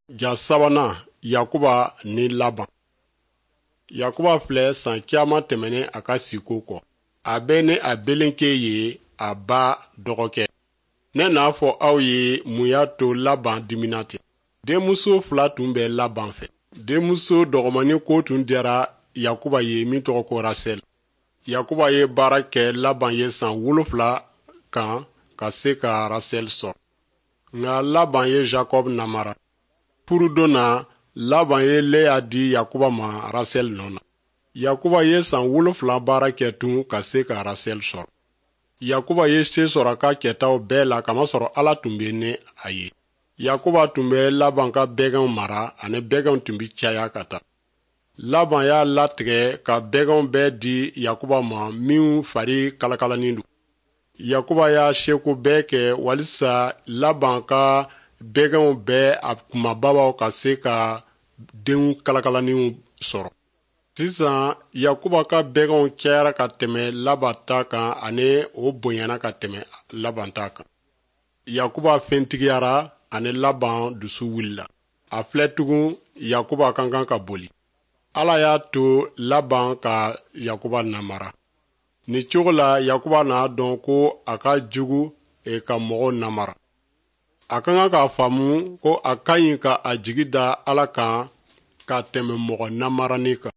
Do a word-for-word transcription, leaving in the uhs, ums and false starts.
Ja sabanan, Yakuba ni Laban. Yakuba filɛ san caman tɛmɛnen a ka siko kɔ. A bɛ ni a belenke ye, a ba dɔgɔkɛ. Ne n'a fɔ aw ye mun y'a to Laban dimina ten. Denmuso fila tun bɛ Laban fɛ. Denmuso dɔgɔmanin ko tun diyara Yakuba ye min tɔgɔ ko Rasɛl. Yakuba ye baara kɛ Laban ye san wolonfila kan ka se ka Rasɛl sɔrɔ. Nka Laban ye Jacob namara. Furudon na, Laban ye Leya di Yakuba ma Rasɛl nɔ na. Yakuba ye san wolonfila baara kɛ tun ka se ka Rasɛl sɔrɔ. Yakuba ye se sɔrɔ a ka kɛtaw bɛɛ la, kamasɔrɔ Ala tun bɛ ni a ye. Yakuba tun bɛ Laban ka bɛgɛnw mara, ani bɛgɛnw tun bɛ caya ka taa. Laban y'a latigɛ ka bɛgɛnw bɛɛ di Yakuba ma minw fari kalakalanin don. Yakuba y'a seko bɛɛ kɛ walisa Laban ka bɛgɛnw bɛɛ a kunbabaw ka se ka denw kalakalaninw sɔrɔ. Sisan, Yakuba ka bɛgɛnw cayara ka tɛmɛ Laban ta kan, ani o bonyana ka tɛmɛ Laban ta kan. Yakuba fɛntigiyara, ani Laban dusu wulila. A filɛ tugun, Yakuba ka kan ka boli. Ala y'a to Laban ka Yakuba namara. Nin cogo la, Yakuba n'a dɔn ko a ka jugu e, ka mɔgɔw namara. A ka kan k'a faamu ko a ka ɲi ka a jigi da Ala kan ka tɛmɛ mɔgɔ namaranin kan.